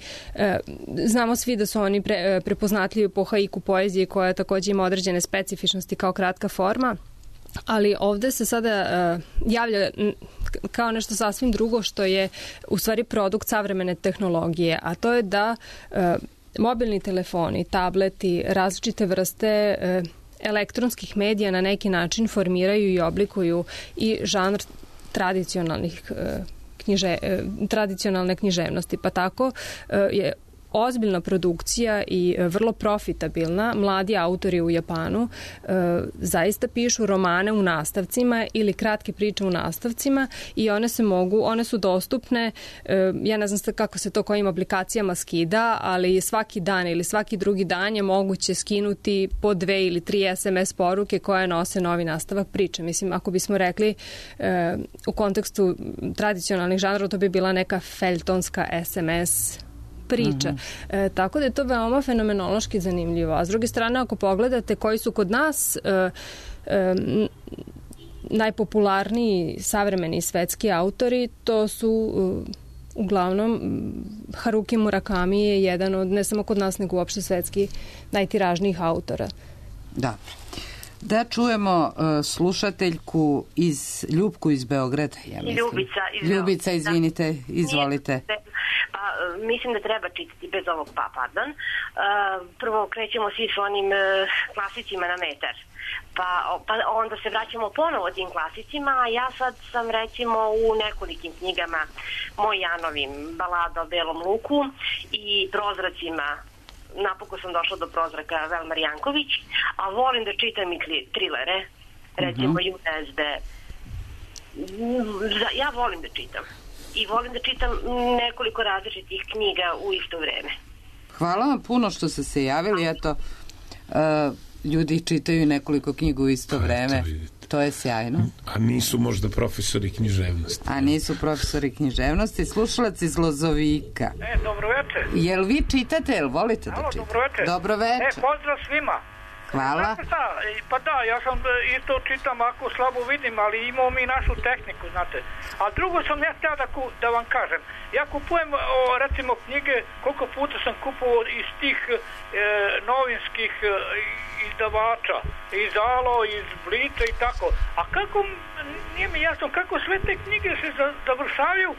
znamo svi da su oni prepoznatljivi po haiku poezije koja takođe ima određene specifičnosti kao kratka forma, ali ovde se sada javlja kao nešto sasvim drugo što je u stvari produkt savremene tehnologije, a to je da mobilni telefoni, tableti, različite vrste elektronskih medija na neki način formiraju i oblikuju i žanr tradicionalne književnosti, pa tako je ozbiljna produkcija i vrlo profitabilna. Mladi autori u Japanu zaista pišu romane u nastavcima ili kratke priče u nastavcima i one su dostupne, ja ne znam kako se to kojim aplikacijama skida, ali svaki dan ili svaki drugi dan je moguće skinuti po 2 ili 3 SMS poruke koje nose novi nastavak priče. Mislim, ako bismo rekli u kontekstu tradicionalnih žanrova, to bi bila neka feljtonska SMS priča. Tako da je to veoma fenomenološki zanimljivo. A s druge strane, ako pogledate koji su kod nas najpopularniji savremeni svetski autori, to su uglavnom Haruki Murakami je jedan od, ne samo kod nas, nego uopšte svetski najtiražnijih autora. Da. Da čujemo slušateljku Ljupku iz Beograda, ja mislim. Ljubica, izvinite, izvolite. Pa, mislim da treba čitati bez ovog pardon. Prvo krećemo svi s onim klasicima na metar. Pa onda se vraćamo ponovo tim klasicima, a ja sad sam recimo u nekolikim knjigama Moj Janovim, Balada o belom luku i Prozracima. Napokon sam došla do Prozraka Velmar Janković, a volim da čitam i trilere, recimo USD, Ja volim da čitam. I volim da čitam nekoliko različitih knjiga u isto vreme. Hvala vam puno što ste se javili. Eto, ljudi čitaju nekoliko knjiga u isto vreme. To je sjajno. A nisu možda profesori književnosti. Slušalac iz Lozovika. Dobro večer. Jel vi čitate, jel volite da čitate? Dobro večer. Dobro večer. Pozdrav svima. Hvala. Pa da, ja sam isto čitam ako slabo vidim, ali imamo mi našu tehniku, znate. A drugo sam ja htio da vam kažem. Ja kupujem, recimo, knjige, koliko puta sam kupovao iz tih novinskih izdavača, iz Alo, iz Blica i tako. A kako, nije mi jasno, kako sve te knjige se završavaju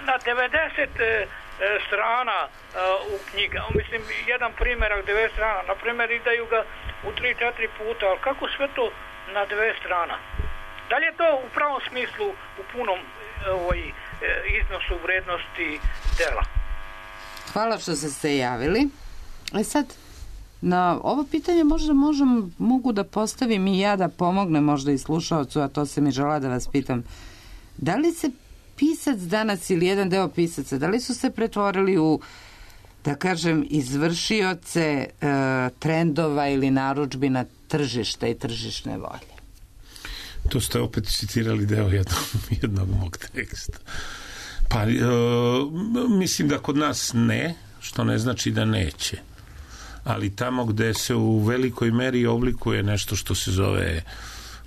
na 90 strana u knjiga. Mislim, jedan primjerak 90 strana. Na primjer, izdaju ga u 3-4 puta, ali kako sve to na 90 strana? Da li je to u pravom smislu, u punom iznosu vrednosti dela? Hvala što ste se javili. Sad, na ovo pitanje mogu da postavim i ja, da pomognem možda i slušaocu, a to se mi žela da vas pitam. Da li se pisac danas ili jedan deo pisaca, da li su se pretvorili u, da kažem, izvršioce trendova ili narudžbina tržišta i tržišne volje? To ste opet citirali deo jednog mog teksta. Pa, mislim da kod nas ne, što ne znači da neće. Ali tamo gde se u velikoj meri oblikuje nešto što se zove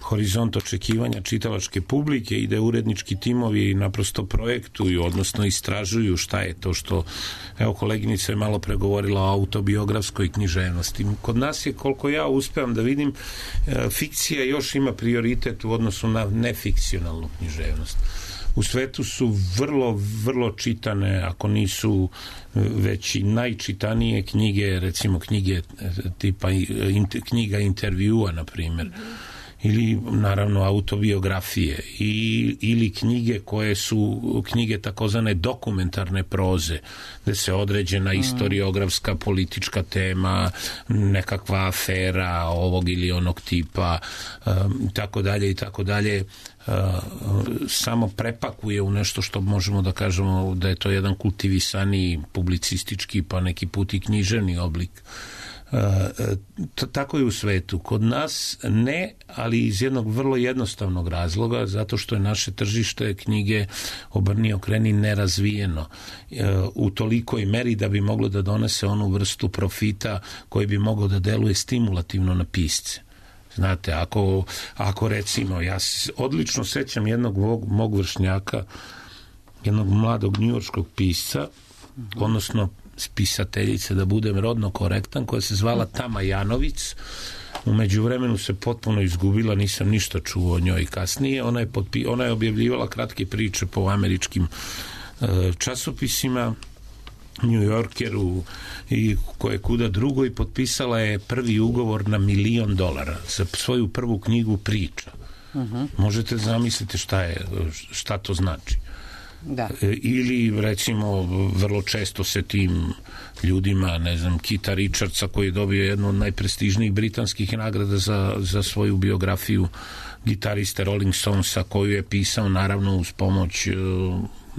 horizont očekivanja čitalačke publike i da urednički timovi naprosto projektuju, odnosno istražuju šta je to što, evo, koleginica je malo pregovorila o autobiografskoj književnosti. Kod nas je, koliko ja uspevam da vidim, fikcija još ima prioritet u odnosu na nefikcionalnu književnost. U svetu su vrlo čitane, ako nisu već i najčitanije knjige, recimo knjige tipa knjiga intervjua, na primjer, ili naravno autobiografije ili knjige koje su knjige takozvane dokumentarne proze, gde se određena istoriografska politička tema, nekakva afera ovog ili onog tipa, i tako dalje, samo prepakuje u nešto što možemo da kažemo da je to jedan kultivisani publicistički, pa neki put i književni oblik. Tako je u svetu. Kod nas ne, ali iz jednog vrlo jednostavnog razloga, zato što je naše tržište knjige obrni okreni nerazvijeno u tolikoj meri da bi moglo da donese onu vrstu profita koji bi mogao da deluje stimulativno na pisce. Znate, ako recimo, ja odlično sećam jednog mog vršnjaka, jednog mladog njujorškog pisca, odnosno spisateljice, da budem rodno korektan, koja se zvala Tama Janović. U međuvremenu se potpuno izgubila, nisam ništa čuo o njoj kasnije. Ona je objavljivala kratke priče po američkim časopisima, New Yorkeru i koje kuda drugo, i potpisala je prvi ugovor na $1 milion za svoju prvu knjigu priča. Možete zamisliti šta to znači. Da. Ili recimo vrlo često se tim ljudima, ne znam, Kita Richardsa, koji je dobio jednu od najprestižnijih britanskih nagrada za svoju biografiju gitariste Rolling Stonesa, koju je pisao naravno uz pomoć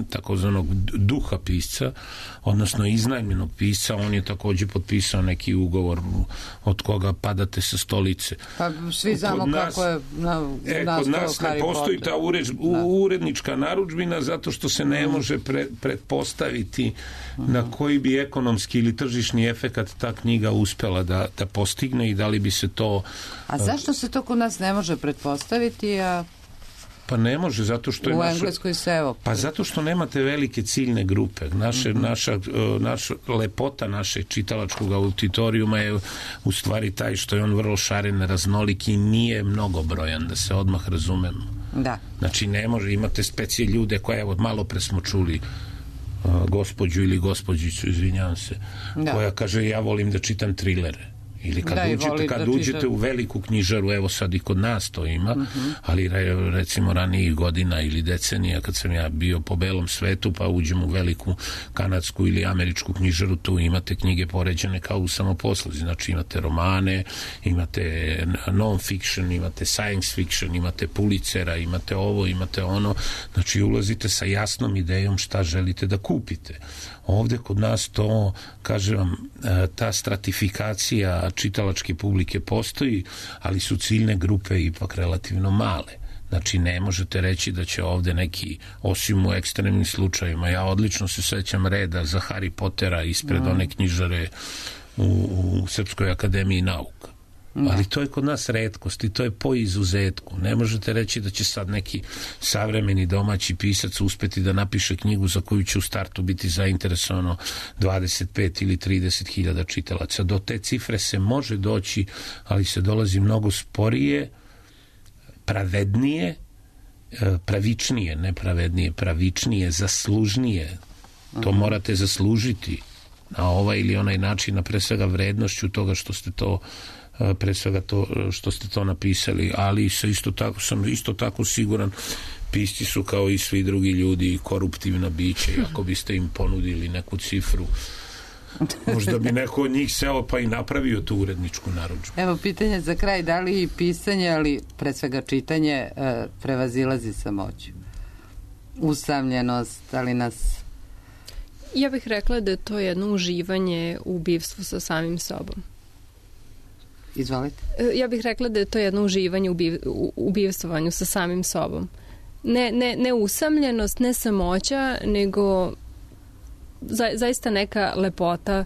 takozvanog duha pisca, odnosno iznajmljenog pisca. On je takođe potpisao neki ugovor od koga padate sa stolice. Pa svi znamo kako je kod nas ne postoji ta urednička narudžbina, zato što se ne može pretpostaviti na koji bi ekonomski ili tržišni efekat ta knjiga uspela da postigne i da li bi se to... A zašto se to kod nas ne može pretpostaviti, a... Pa ne može, zato što je u Engleskoj se Pa zato što nemate velike ciljne grupe. Naša lepota našeg čitalačkog auditorijuma je u stvari taj što je on vrlo šaren, raznolik i nije mnogobrojan, da se odmah razumemo. Da. Znači ne može, imate specie ljude koje, evo, malo pre smo čuli gospođu ili gospođicu, izvinjavam se, koja kaže ja volim da čitam trilere. Ili kad uđete u veliku knjižaru, evo sad i kod nas to ima, ali recimo ranijih godina ili decenija kad sam ja bio po belom svetu, pa uđem u veliku kanadsku ili američku knjižaru, tu imate knjige poređene kao u samoposluzi. Znači imate romane, imate non-fiction, imate science fiction, imate Pulitzera, imate ovo, imate ono. Znači ulazite sa jasnom idejom šta želite da kupite. Ovde kod nas to, kažem vam, ta stratifikacija čitalačke publike postoji, ali su ciljne grupe ipak relativno male. Znači ne možete reći da će ovde neki, osim u ekstremnim slučajima, ja odlično se sećam reda za Harry Pottera ispred one knjižare u Srpskoj akademiji nauka. Ali to je kod nas retkost i to je po izuzetku. Ne možete reći da će sad neki savremeni domaći pisac uspeti da napiše knjigu za koju će u startu biti zainteresovano 25 ili 30 hiljada čitalaca. Do te cifre se može doći, ali se dolazi mnogo sporije, pravednije, pravičnije, ne pravednije, pravičnije, zaslužnije. To morate zaslužiti na ovaj ili onaj način, a pre svega vrednošću toga što ste to pre svega to što ste to napisali, ali sam isto tako siguran, pisci su kao i svi drugi ljudi koruptivna bića i ako biste im ponudili neku cifru, možda bi neko od njih seo pa i napravio tu uredničku narudžbu. Evo pitanje za kraj, da li pisanje, ali pre svega čitanje prevazilazi samoću? Usamljenost, ali nas... Ja bih rekla da je to jedno uživanje u bivstvu sa samim sobom. Izvolite. Ja bih rekla da je to jedno uživanje u bivstvovanju sa samim sobom. Ne usamljenost, ne samoća, nego zaista neka lepota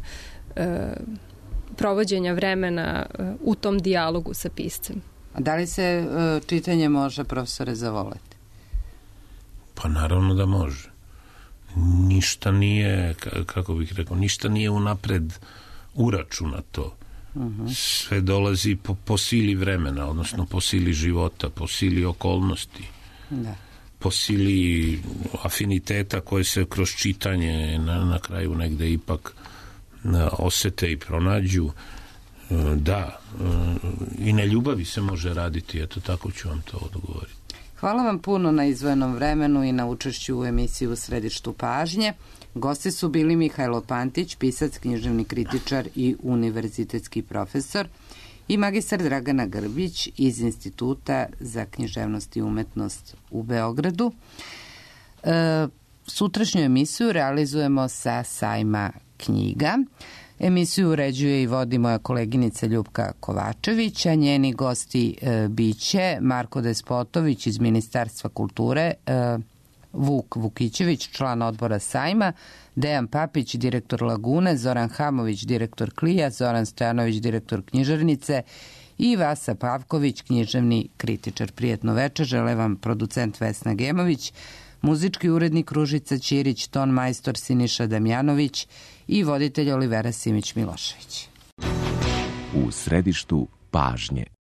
provođenja vremena u tom dijalogu sa piscem. A da li se čitanje može, profesore, zavoleti? Pa naravno da može. Ništa nije, kako bih rekao, ništa nije unapred uračunato. Sve dolazi po sili vremena, odnosno po sili života, po sili okolnosti, po sili afiniteta koje se kroz čitanje na kraju negde ipak osete i pronađu. Da, i na ljubavi se može raditi, eto tako ću vam to odgovoriti. Hvala vam puno na izdvojenom vremenu i na učešću u emisiji U središtu pažnje. Gosti su bili Mihajlo Pantić, pisac, književni kritičar i univerzitetski profesor, i magistar Dragana Grbić iz Instituta za književnost i umetnost u Beogradu. Sutrašnju emisiju realizujemo sa sajma knjiga. Emisiju uređuje i vodi moja koleginica Ljupka Kovačević, a njeni gosti biće Marko Despotović iz Ministarstva kulture, Vuk Vukićević, član odbora sajma, Dejan Papić, direktor Lagune, Zoran Hamović, direktor Klija, Zoran Stojanović, direktor knjižarnice i Vasa Pavković, književni kritičar. Prijetno večer, žele vam producent Vesna Gemović, muzički urednik Ružica Ćirić, ton majstor Siniša Damjanović i voditelj Olivera Simić Milošević. U središtu pažnje.